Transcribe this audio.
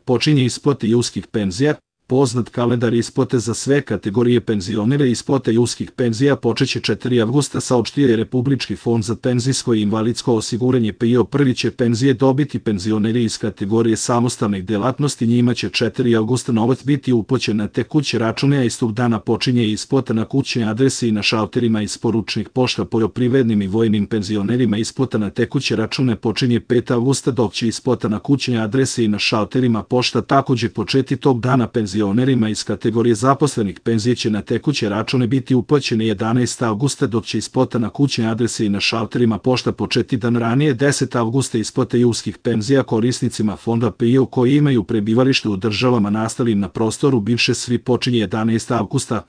počinje isplata julskih penzija. Poznat kalendar isplate za sve kategorije penzionera i isplata julskih penzija počeće 4. avgusta, saopštio je Republički fond za penzijsko i invalidsko osiguranje PIO. Prvi će penzije dobiti penzioneri iz kategorije samostalnih delatnosti, njima će 4. avgusta novac biti uplaćen na tekuće račune, a istog dana počinje isplata na kućne adrese i na šalterima isporučnih pošta. Poljoprivrednim i vojnim penzionerima isplata na tekuće račune počinje 5. avgusta, dok će isplata na kućne adrese i na šalterima pošta takođe početi tog dana. Penzionerima iz kategorije zaposlenih penzije će na tekuće račune biti uplaćene 11. avgusta, dok će isplata na kućne adrese i na šalterima pošta početi dan ranije. 10. avgusta isplata julskih penzija korisnicima fonda PIO koji imaju prebivalište u državama nastalim na prostoru bivše SFRJ počinje 11. avgusta.